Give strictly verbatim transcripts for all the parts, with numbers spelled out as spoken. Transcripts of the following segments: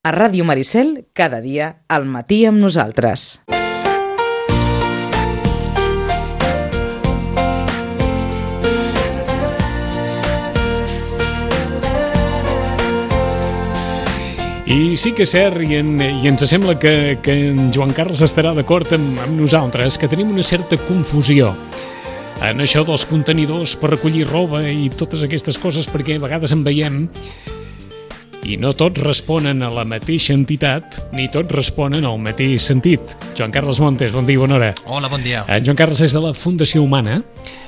A Ràdio Maricel, cada dia, al matí amb nosaltres. I sí que és cert, i, en, i ens sembla que, que en Joan Carles estarà d'acord amb, amb nosaltres, que tenim una certa confusió en això dels contenidors per recollir roba i totes aquestes coses, perquè a vegades en veiem i no tots responen a la mateixa entitat, ni tots responen al mateix sentit. Joan Carles Montes, bon dia, bona hora. Hola, bon dia. En Joan Carles és de la Fundació Humana.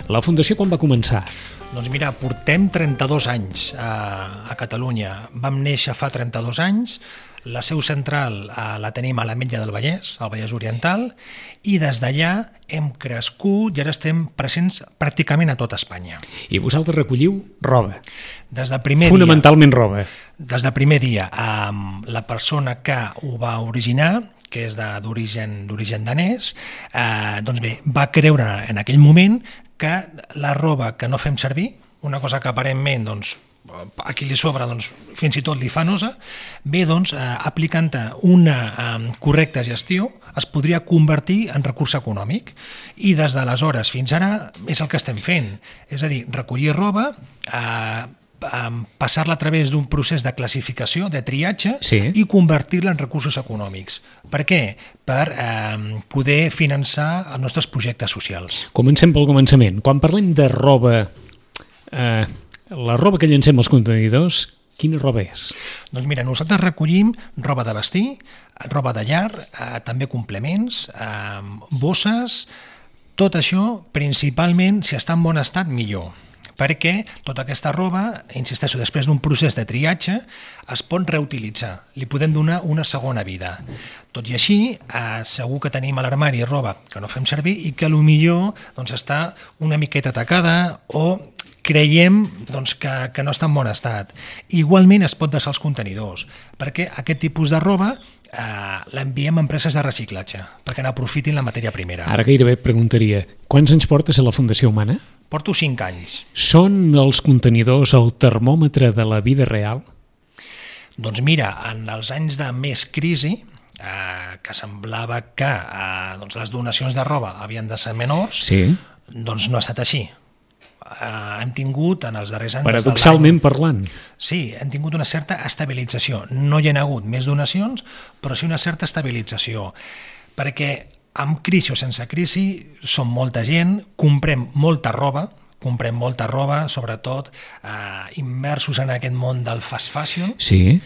La Fundació quan va començar? Doncs mira, portem trenta-dos anys a, a Catalunya. Vam néixer fa trenta-dos anys, la seu central a, la tenim a l'Ametlla del Vallès, al Vallès Oriental, i des d'allà hem crescut i ara estem presents pràcticament a tot Espanya. I vosaltres recolliu roba? Des del primer Fonamentalment dia, roba. Des del primer dia, eh, la persona que ho va originar, que és d'origen d'origen danès, eh, doncs bé, va creure en aquell moment que la roba que no fem servir, una cosa que aparentment doncs, a qui li sobra doncs, fins i tot li fa nosa, bé, doncs, eh, aplicant una eh, correcta gestió es podria convertir en recurs econòmic, i des d'aleshores fins ara és el que estem fent, és a dir, recollir roba, eh, passar-la a través d'un procés de classificació, de triatge, sí, i convertir-la en recursos econòmics. Per què? Per eh, poder finançar els nostres projectes socials. Comencem pel començament. Quan parlem de roba, eh, la roba que llancem als contenidors, quina roba és? Doncs mira, nosaltres recollim roba de vestir, roba de llar, eh, també complements, eh, bosses, tot això principalment, si està en bon estat, millor. Perquè tota aquesta roba, insisteixo, després d'un procés de triatge, es pot reutilitzar, li podem donar una segona vida. Tot i així, eh, segur que tenim a l'armari roba que no fem servir i que potser doncs, està una miqueta tacada o creiem doncs, que, que no està en bon estat. Igualment es pot deixar els contenidors, perquè aquest tipus de roba eh, l'enviem a empreses de reciclatge, perquè n'aprofitin la matèria primera. Ara gairebé et preguntaria, quants anys portes a la Fundació Humana? Porto cinc anys. Són els contenidors el termòmetre de la vida real? Doncs mira, en els anys de més crisi, eh, que semblava que eh, doncs les donacions de roba havien de ser menors, sí, doncs no ha estat així. Eh, hem tingut en els darrers anys... Paradoxalment parlant. Sí, hem tingut una certa estabilització. No hi ha hagut més donacions, però sí una certa estabilització. Perquè amb crisi o sense crisi som molta gent, comprem molta roba, comprem molta roba, sobretot eh, immersos en aquest món del fast fashion. Sí.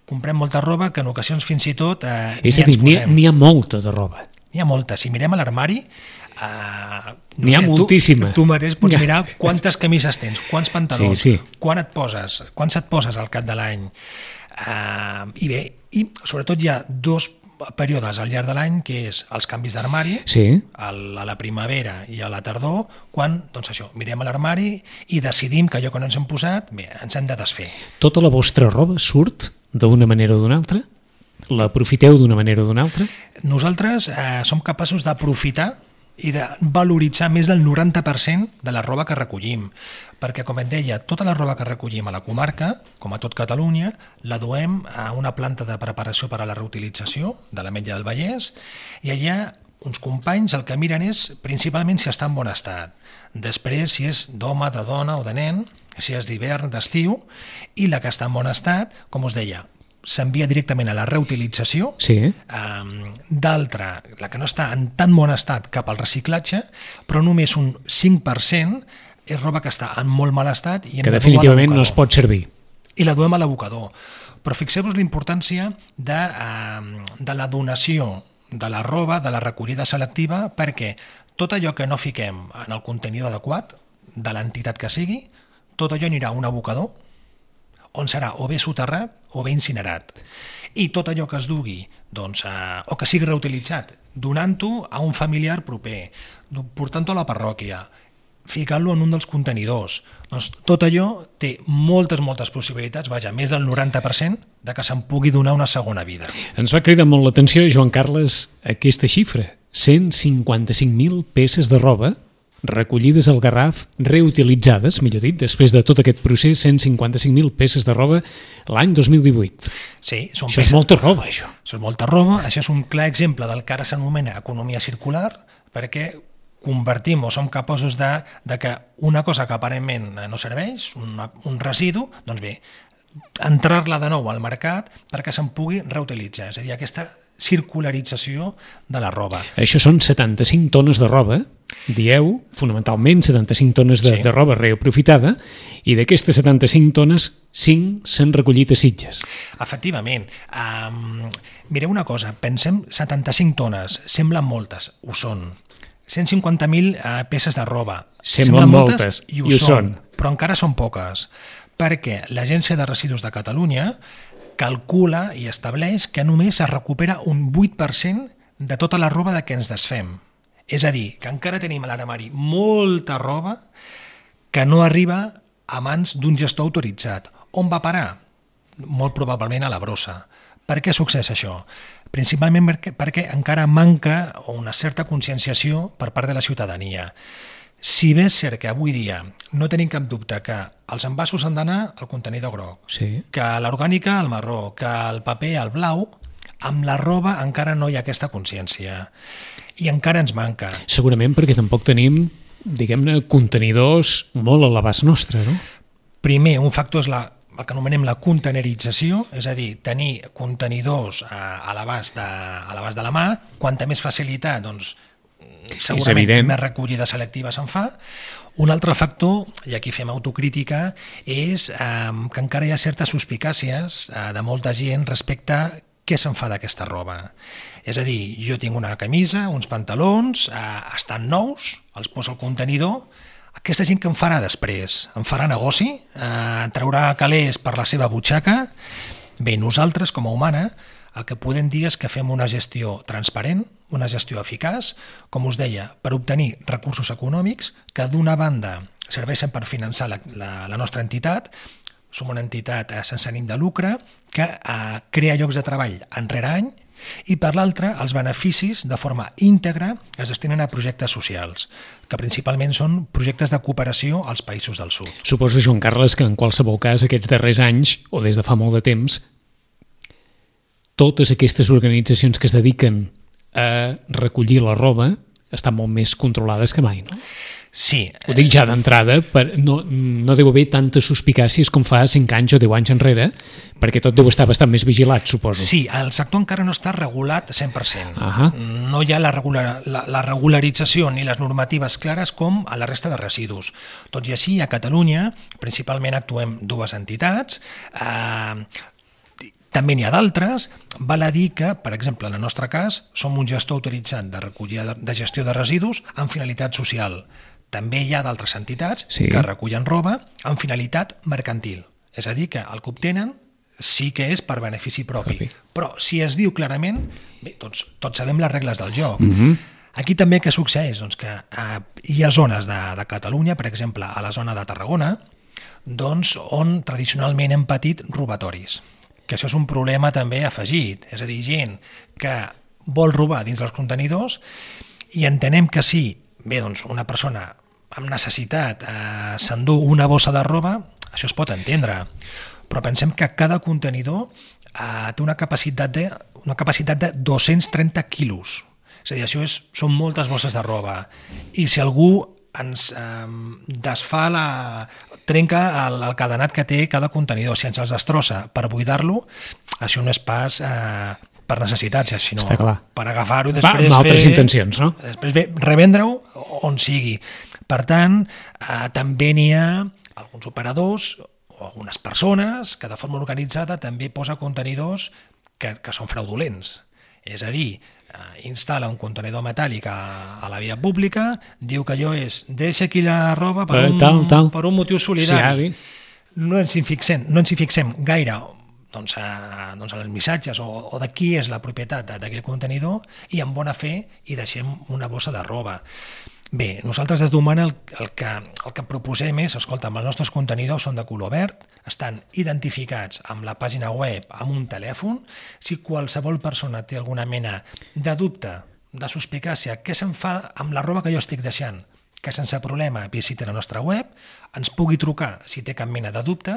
Comprem molta roba que en ocasions fins i tot... Eh, És a dir, n'hi ha, n'hi ha molta de roba. N'hi ha molta. Si mirem a l'armari, eh, no n'hi ha sé, moltíssima. Tu, tu mateix pots mirar quantes camises tens, quants pantalons, sí, sí. quan et poses, quants et poses al cap de l'any. Eh, I bé, i sobretot hi ha dos períodes al llarg de l'any, que és els canvis d'armari, sí, a la primavera i a la tardor, quan, doncs això, mirem a l'armari i decidim que allò que no ens hem posat, bé, ens hem de desfer. Tota la vostra roba surt d'una manera o d'una altra? L'aprofiteu d'una manera o d'una altra? Nosaltres eh, som capaços d'aprofitar i de valoritzar més del noranta per cent de la roba que recollim, perquè, com et deia, tota la roba que recollim a la comarca, com a tot Catalunya, la duem a una planta de preparació per a la reutilització de l'Ametlla del Vallès, i allà uns companys el que miren és principalment si està en bon estat, després si és d'home, de dona o de nen, si és d'hivern, d'estiu, i la que està en bon estat, com us deia, s'envia directament a la reutilització, sí, um, d'altra, la que no està en tan bon estat, cap al reciclatge, però només un cinc per cent és roba que està en molt mal estat i que definitivament no es pot servir. I la duem a l'abocador. Però fixeu-vos la importància de, uh, de la donació de la roba, de la recollida selectiva, perquè tot allò que no fiquem en el contenidor adequat, de l'entitat que sigui, tot allò anirà a un abocador, on serà o bé soterrat o bé incinerat. I tot allò que es dugui, doncs, eh, o que sigui reutilitzat, donant-ho a un familiar proper, portant-ho a la parròquia, ficant-lo en un dels contenidors. Doncs tot allò té moltes, moltes possibilitats, vaja, més del noranta per cent de que se'n pugui donar una segona vida. Ens va cridar molt l'atenció, Joan Carles, aquesta xifra, cent cinquanta-cinc mil peces de roba recollides al Garraf, reutilitzades, millor dit, després de tot aquest procés, cent cinquanta-cinc mil peces de roba l'any dos mil divuit. Sí, són això peces... és molta roba, això. Això és molta roba, això és un clar exemple del que ara s'anomena economia circular, perquè convertim o som capaços de, de que una cosa que aparentment no serveix, una, un residu, doncs bé, entrar-la de nou al mercat perquè se'n pugui reutilitzar, és a dir, aquesta circularització de la roba. Això són setanta-cinc tones de roba, dieu, fonamentalment setanta-cinc tones de, sí. de roba reaprofitada, i d'aquestes setanta-cinc tones, cinc s'han recollit a Sitges. Efectivament. Um, mireu una cosa, pensem setanta-cinc tones, semblen moltes, ho són. cent cinquanta mil uh, peces de roba, semblen, semblen moltes, moltes, i ho, i ho són, són, però encara són poques, perquè l'Agència de Residus de Catalunya calcula i estableix que només es recupera un vuit per cent de tota la roba de què ens desfem. És a dir, que encara tenim a l'armari molta roba que no arriba a mans d'un gestor autoritzat. On va parar? Molt probablement a la brossa. Per què succeeix això? Principalment perquè, perquè encara manca una certa conscienciació per part de la ciutadania. Si bé és cert que avui dia no tenim cap dubte que els envasos han d'anar al contenidor groc, sí. que l'orgànica al marró, que el paper al blau, amb la roba encara no hi ha aquesta consciència. I encara ens manca. Segurament perquè tampoc tenim, diguem-ne, contenidors molt a l'abast nostre, no? Primer, un factor és la, el que anomenem la contenerització, és a dir, tenir contenidors a, a l'abast de, a l'abast de la mà, quanta més facilitat, doncs, segurament més recollida selectiva se'n fa. Un altre factor, i aquí fem autocrítica, és eh, que encara hi ha certes suspicàcies eh, de molta gent respecte a què se'n fa d'aquesta roba. És a dir, jo tinc una camisa, uns pantalons, eh, estan nous, els poso al contenidor, aquesta gent que em farà després? Em farà negoci? Eh, traurà calés per la seva butxaca? Bé, nosaltres, com a humana, el que podem dir és que fem una gestió transparent, una gestió eficaç, com us deia, per obtenir recursos econòmics que d'una banda serveixen per finançar la, la, la nostra entitat. Som una entitat eh, sense ànim de lucre que eh, crea llocs de treball any rere any, i per l'altra els beneficis de forma íntegra es destinen a projectes socials, que principalment són projectes de cooperació als països del sud. Suposo, Joan Carles, que en qualsevol cas aquests darrers anys, o des de fa molt de temps, totes aquestes organitzacions que es dediquen a recollir la roba estan molt més controlades que mai, no? Sí. Ho dic ja d'entrada, no, no deu haver tantes suspicàcies com fa cinc anys o deu anys enrere, perquè tot deu estar bastant més vigilat, suposo. Sí, el sector encara no està regulat cent per cent. Uh-huh. No hi ha la, regular, la, la regularització ni les normatives clares com a la resta de residus. Tot i així, a Catalunya, principalment actuem dues entitats, eh, també n'hi ha d'altres. Val a dir que, per exemple, en el nostre cas, som un gestor autoritzat de recollida de gestió de residus amb finalitat social. També hi ha d'altres entitats sí. que recullen roba amb finalitat mercantil. És a dir, que el que obtenen sí que és per benefici propi. propi. Però si es diu clarament, bé, tots, tots sabem les regles del joc. Mm-hmm. Aquí també què succeeix? Doncs que eh, hi ha zones de, de Catalunya, per exemple, a la zona de Tarragona, doncs, on tradicionalment hem patit robatoris. Que això és un problema també afegit, és a dir, gent que vol robar dins dels contenidors i entenem que si bé, doncs, una persona amb necessitat eh, s'endú una bossa de roba, això es pot entendre, però pensem que cada contenidor eh, té una capacitat de, una capacitat de dos-cents trenta quilos, és a dir, això és, són moltes bosses de roba, i si algú ens eh, desfà la... trenca el, el cadenat que té cada contenidor, si ens els destrossa per buidar-lo, això no és pas eh, per necessitats, sinó per agafar-ho i després Va, amb altres fer, intencions, no? Després bé, revendre-ho on sigui. Per tant, eh, també n'hi ha alguns operadors o algunes persones que de forma organitzada també posa contenidors que, que són fraudulents. És a dir, eh, instal·la un contenidor metàl·lic a, a la via pública, diu que allò és deixa aquí la roba per, un, tal, tal. per un motiu solidari. Sí, no ens hi fixem, no ens hi fixem gaire doncs, a, doncs a les missatges o, o de qui és la propietat d'aquell contenidor i amb bona fe hi deixem una bossa de roba. Bé, nosaltres des d'Humana el, el, que, el que proposem és, escolta, els nostres contenidors són de color verd, estan identificats amb la pàgina web, amb un telèfon. Si qualsevol persona té alguna mena de dubte, de suspicàcia, què se'n fa amb la roba que jo estic deixant? que sense problema visiti la nostra web, ens pugui trucar si té cap mena de dubte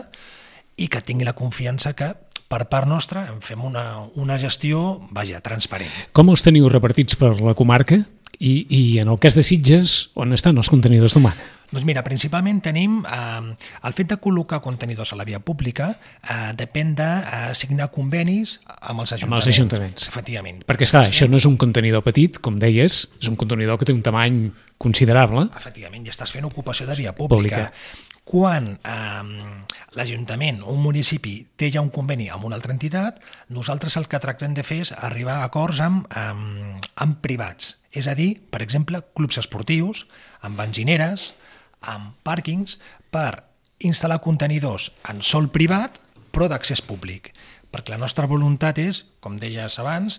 i que tingui la confiança que per part nostra en fem una, una gestió, vaja, transparent. Com els teniu repartits per la comarca? I, i en el cas de Sitges, on estan els contenidors d'humà? Doncs mira, principalment tenim eh, el fet de col·locar contenidors a la via pública eh, depèn de eh, signar convenis amb els ajuntaments. Amb els ajuntaments. Efectivament. Perquè, esclar, això no és un contenidor petit, com deies, és un contenidor que té un tamany considerable. Efectivament, i estàs fent ocupació de via pública. pública. Quan eh, l'Ajuntament o un municipi té ja un conveni amb una altra entitat, nosaltres el que tractem de fer és arribar a acords amb, amb, amb privats. És a dir, per exemple, clubs esportius, amb benzineres, amb pàrquings, per instal·lar contenidors en sòl privat, però d'accés públic. Perquè la nostra voluntat és, com deies abans,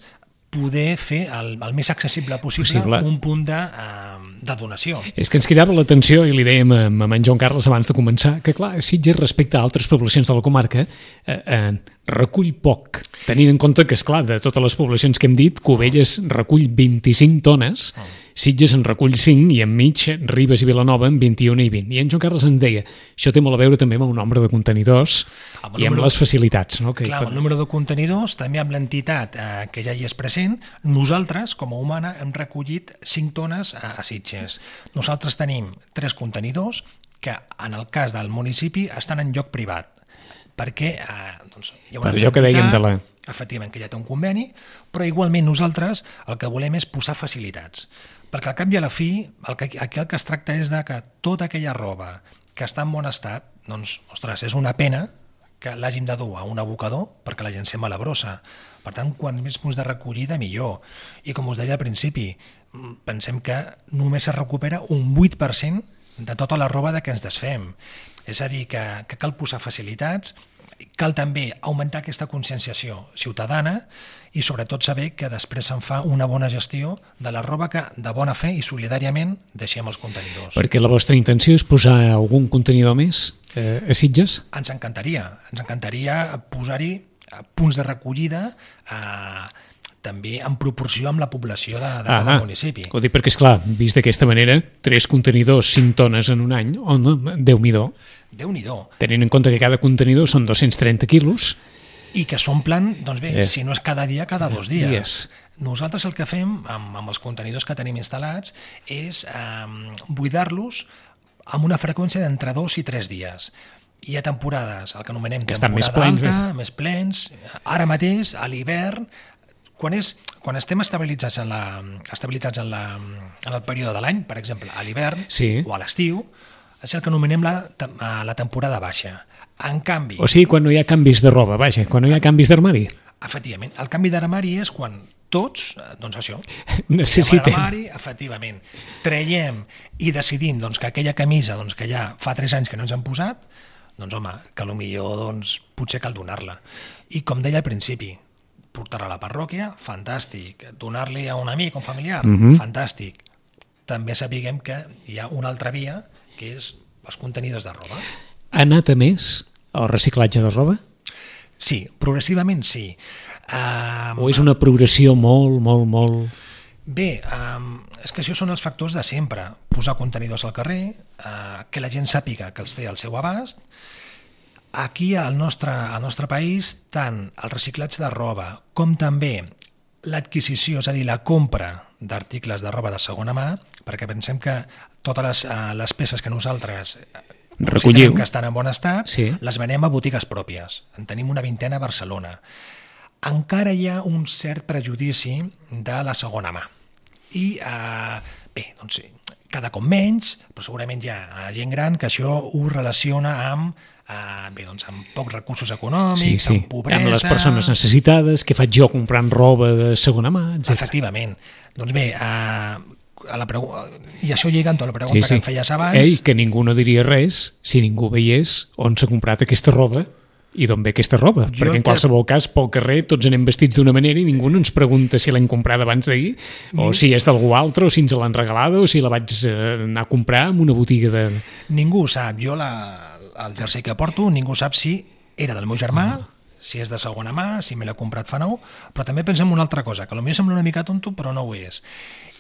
poder fer el, el més accessible possible, possible. un punt de, uh, de donació. És que ens cridava l'atenció, i li dèiem a, a en Joan Carles abans de començar, que clar, Sitges respecte a altres poblacions de la comarca eh, eh, recull poc, tenint en compte que, esclar, de totes les poblacions que hem dit, Cubelles recull vint-i-cinc tones, oh. Sitges en recull cinc i enmig Ribes i Vilanova en vint-i-un i vint. I en Joan Carles ens deia, això té molt a veure també amb el nombre de contenidors amb i amb les facilitats. No? Que clar, amb el número de contenidors, també amb l'entitat eh, que ja hi és present, nosaltres, com a Humana, hem recollit cinc tones a, a Sitges. Nosaltres tenim tres contenidors que, en el cas del municipi, estan en lloc privat, perquè eh, doncs, hi ha una per allò que dèiem de la... efectivament, que ja té un conveni, però igualment nosaltres el que volem és posar facilitats. Perquè al cap i a la fi, el que, aquí el que es tracta és de que tota aquella roba que està en bon estat, doncs, ostres, és una pena que l'hàgim de dur a un abocador perquè la llancem a la brossa. Per tant, quan més punts de recollida, millor. I com us deia al principi, pensem que només es recupera un vuit per cent de tota la roba de què ens desfem. És a dir, que, que cal posar facilitats, cal també augmentar aquesta conscienciació ciutadana i sobretot saber que després se'n fa una bona gestió de la roba que de bona fe i solidàriament deixem els contenidors. Perquè la vostra intenció és posar algun contenidor més eh, a Sitges? Ens encantaria, ens encantaria posar-hi punts de recollida eh, també en proporció amb la població de, de cada municipi. Ho dic perquè, esclar, vist d'aquesta manera, tres contenidors, cinc tones en un any, oh, no, Déu-n'hi-do. Déu-n'hi-do. Tenint en compte que cada contenidor són dos-cents trenta quilos. I que s'omplen, doncs bé, eh. si no és cada dia, cada dos dies. dies. Nosaltres el que fem amb, amb els contenidors que tenim instal·lats és eh, buidar-los amb una freqüència d'entre dos i tres dies. Hi ha temporades, el que anomenem que temporada més plens, alta, més... més plens. Ara mateix, a l'hivern, quan, és, quan estem estabilitzats en, la, estabilitzats en, la, en el període de l'any, per exemple, a l'hivern sí. o a l'estiu, és el que anomenem la, la temporada baixa. En canvi... O sigui, quan no hi ha canvis de roba, vaja, quan no hi ha canvis d'armari. Efectivament. El canvi d'armari és quan tots, doncs això, necessitem. Armari, efectivament, traiem i decidim doncs, que aquella camisa doncs, que ja fa tres anys que no ens han posat, doncs home, que potser doncs, potser cal donar-la. I com deia al principi, portar-la a la parròquia, fantàstic. Donar-li a un amic, a un familiar, uh-huh. fantàstic. També sapiguem que hi ha una altra via, que és els contenidors de roba. Ha anat a més el reciclatge de roba? Sí, progressivament sí. Um, o és una progressió molt, molt, molt... Bé, um, és que això són els factors de sempre. Posar contenidors al carrer, uh, que la gent sàpiga que els té al seu abast. Aquí al nostre, al nostre país, tant el reciclatge de roba com també l'adquisició, és a dir, la compra d'articles de roba de segona mà, perquè pensem que totes les, uh, les peces que nosaltres recollim, que estan en bon estat, sí. les venem a botigues pròpies. En tenim una vintena a Barcelona. Encara hi ha un cert prejudici de la segona mà. I, eh, bé, doncs, cada cop menys, però segurament hi ha gent gran que això ho relaciona amb, eh, bé, doncs, amb pocs recursos econòmics, sí, sí. amb pobresa... Amb les persones necessitades, què faig jo comprant roba de segona mà, etcètera. Efectivament. Doncs bé, eh, a la pregu... i això lliga amb tota la pregunta sí, sí. que em feies abans. Ei, que ningú no diria res si ningú veiés on s'ha comprat aquesta roba i d'on ve aquesta roba, jo perquè en qualsevol que... cas pel carrer tots anem vestits d'una manera i ningú no ens pregunta si l'hem comprada abans d'ahir o si és d'algú altre o si ens l'han regalada o si la vaig anar a comprar en una botiga de... Ningú ho sap. Jo la, el jersei que porto ningú sap si era del meu germà, uh-huh. si és de segona mà, si me l'he comprat fa nou, però també pensem una altra cosa, que potser sembla una mica tonto però no ho és,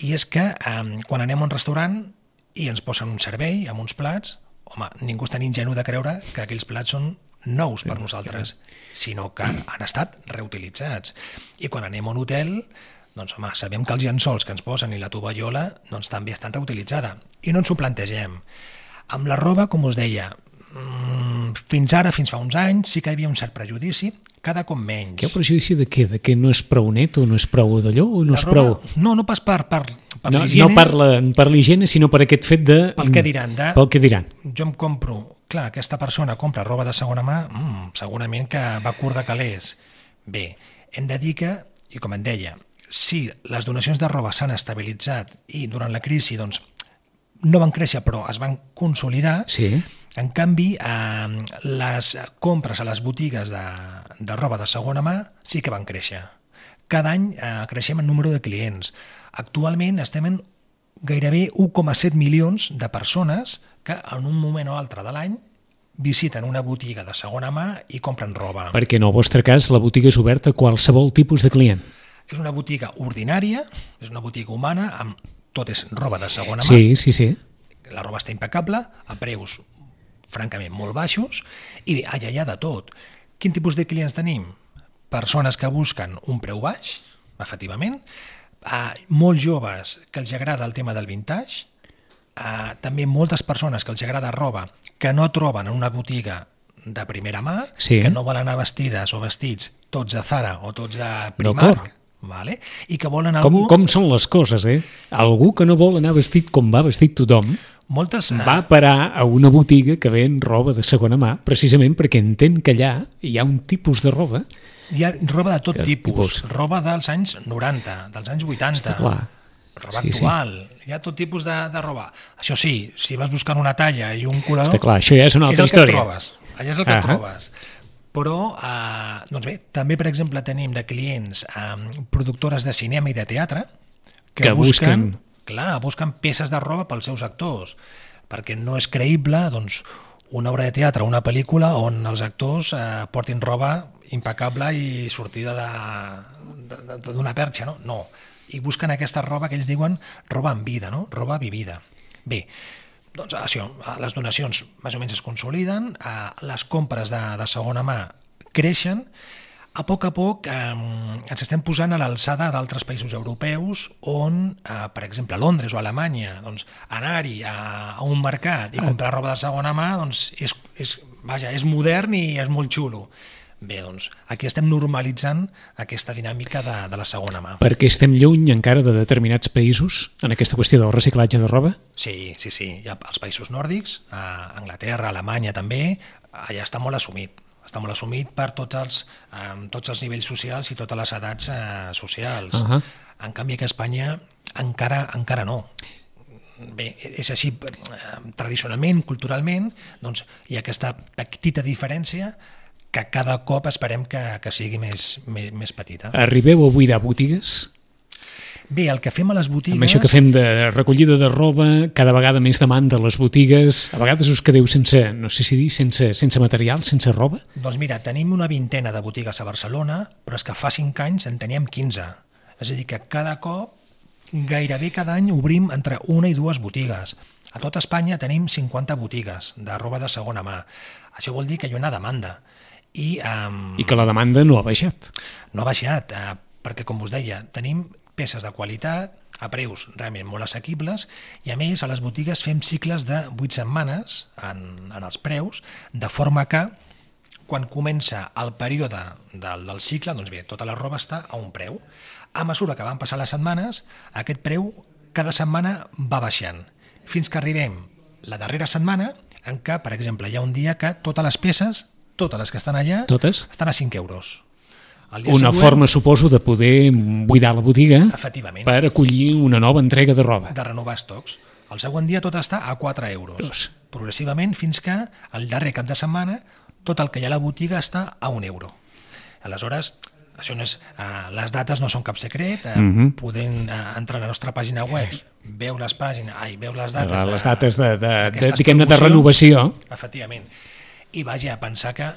i és que eh, quan anem a un restaurant i ens posen un servei amb uns plats. Home, ningú és tan ingenu de creure que aquells plats són nous per nosaltres, sinó que han estat reutilitzats. I quan anem a un hotel, doncs home, sabem que els llençols que ens posen i la tovallola doncs, també estan reutilitzada. I no ens ho plantegem. Amb la roba, com us deia, fins ara, fins fa uns anys, sí que hi havia un cert prejudici, cada cop menys. Què prejudici de què? De que no és prou net o no és prou d'allò o no La és roba, prou... No, no pas per, per, per No, l'higiene. no per la- per l'higiene, sinó per aquest fet de... Pel què diran, de- Pel què diran. Jo em compro, clar, aquesta persona compra roba de segona mà, mm, segurament que va curt de calés. Bé, hem de dir que, i com em deia, si les donacions de roba s'han estabilitzat i durant la crisi doncs, no van créixer però es van consolidar, Sí. en canvi eh, les compres a les botigues de, de roba de segona mà sí que van créixer. Cada any eh, creixem en número de clients. Actualment estem en gairebé un coma set milions de persones que en un moment o altre de l'any visiten una botiga de segona mà i compren roba. Perquè en el vostre cas la botiga és oberta a qualsevol tipus de client. És una botiga ordinària, és una botiga humana, amb tot és roba de segona mà. Sí, sí, sí. La roba està impecable, a preus francament molt baixos, i bé, allà hi ha de tot. Quin tipus de clients tenim? Persones que busquen un preu baix, efectivament, uh, molt joves que els agrada el tema del vintage, uh, també moltes persones que els agrada roba que no troben en una botiga de primera mà, Sí. que no volen anar vestides o vestits tots de Zara o tots de D'acord. Primark, vale? I que volen Com, algú... com són les coses, eh? Algú que no vol anar vestit com va vestit tothom Moltes, uh, va parar a una botiga que ven roba de segona mà precisament perquè entén que allà hi ha un tipus de roba. Hi ha roba de tot Que tipus, tipus? roba dels anys noranta, dels anys vuitanta, Està clar. roba Sí, sí. actual, hi ha tot tipus de, de roba. Això sí, si vas buscant una talla i un color, Està clar, això ja és una altra és el història. que et trobes, allà és el que Ahà. et trobes. Però, eh, doncs bé, també, per exemple, tenim de clients eh, productores de cinema i de teatre que, Que busquen- clar, busquen peces de roba pels seus actors, perquè no és creïble doncs, una obra de teatre, una pel·lícula on els actors eh, portin roba impecable i sortida de- de- de- d'una perxa, no? No. I busquen aquesta roba que ells diuen roba en vida, no? Roba vivida. Bé, doncs això, eh, les donacions més o menys es consoliden, eh, les compres de, de segona mà creixen, a poc a poc eh, ens estem posant a l'alçada d'altres països europeus on, eh, per exemple, a Londres o a Alemanya, doncs, anar-hi a, a un mercat i comprar roba de segona mà doncs, és, és, vaja, és modern i és molt xulo. Bé, doncs, aquí estem normalitzant aquesta dinàmica de, de la segona mà. Perquè estem lluny encara de determinats països en aquesta qüestió del reciclatge de roba? Sí, sí, sí. Hi ha els països nòrdics, a Anglaterra, Alemanya també, allà està molt assumit. Està molt assumit per tots els, eh, tots els nivells socials i totes les edats eh, socials. Ahà. En canvi, aquí a Espanya encara encara no. Bé, és així, eh, tradicionalment, culturalment, doncs hi ha aquesta petita diferència que cada cop esperem que, que sigui més, més, més petita. Arribeu a buidar botigues? Bé, el que fem a les botigues... Amb això que fem de recollida de roba, cada vegada més demanda a les botigues, a vegades us quedeu sense, no sé si dir, sense, sense material, sense roba? Doncs mira, tenim una vintena de botigues a Barcelona, però és que fa cinc anys en teníem quinze. És a dir, que cada cop, gairebé cada any, obrim entre una i dues botigues. A tot Espanya tenim cinquanta botigues de roba de segona mà. Això vol dir que hi ha una demanda. I, um, I que la demanda no ha baixat. no ha baixat, eh, perquè, com us deia, tenim peces de qualitat, a preus realment molt assequibles, i a més a les botigues fem cicles de vuit setmanes en, en els preus, de forma que quan comença el període del, del cicle, doncs bé, tota la roba està a un preu. A mesura que van passar les setmanes, aquest preu cada setmana va baixant, fins que arribem la darrera setmana en què, per exemple, hi ha un dia que totes les peces, totes les que estan allà, Totes? estan a cinc euros. El dia Una següent, forma, suposo, de poder buidar la botiga efectivament, per acollir una nova entrega de roba. de renovar estocs. El següent dia tot està a quatre euros, Dos. progressivament fins que el darrer cap de setmana tot el que hi ha a la botiga està a un euro. Aleshores, això no és, eh, les dates no són cap secret, eh, Mhm. podent eh, entrar a la nostra pàgina web, veu les pàgines, ai, veu les dates, Les dates de, de, de, d'aquestes diguem-ne, de promocions. renovació. Efectivament. I vaja, a pensar que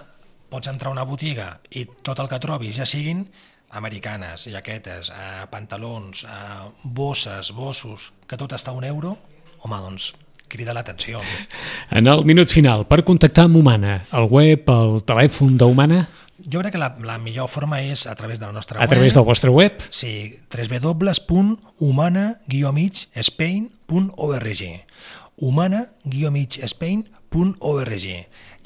pots entrar a una botiga i tot el que trobis ja siguin americanes, jaquetes, eh, pantalons, eh, bosses, bossos, que tot està a un euro, home, doncs crida l'atenció. En el minut final, per contactar amb Humana, el web, el telèfon d'Humana? Jo crec que la, la millor forma és a través de la nostra web. web. A través del vostre web? Sí, w w w punt humana guió mig spain punt org humana guió mig spain punt org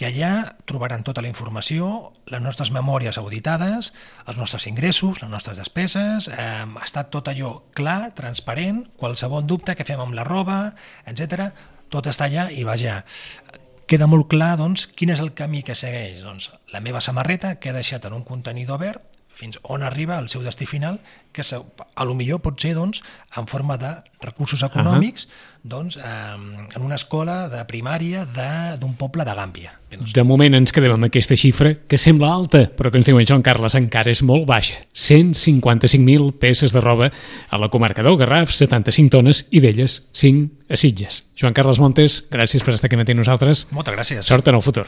i allà trobaran tota la informació, les nostres memòries auditades, els nostres ingressos, les nostres despeses, eh, està tot allò clar, transparent, qualsevol dubte que fem amb la roba, etcètera, tot està allà i vaja, queda molt clar doncs, quin és el camí que segueix. Doncs, la meva samarreta queda deixat en un contenidor verd fins on arriba el seu destí final, que a lo millor pot ser doncs, en forma de recursos econòmics uh-huh. doncs, eh, en una escola de primària d'un poble de Gàmbia. De moment ens quedem amb aquesta xifra, que sembla alta, però que ens diuen Joan Carles encara és molt baixa. cent cinquanta-cinc mil peces de roba a la comarca del Garraf, setanta-cinc tones, i d'elles cinc a Sitges. Joan Carles Montes, gràcies per estar aquí matí amb nosaltres. Moltes gràcies. Sort en el futur.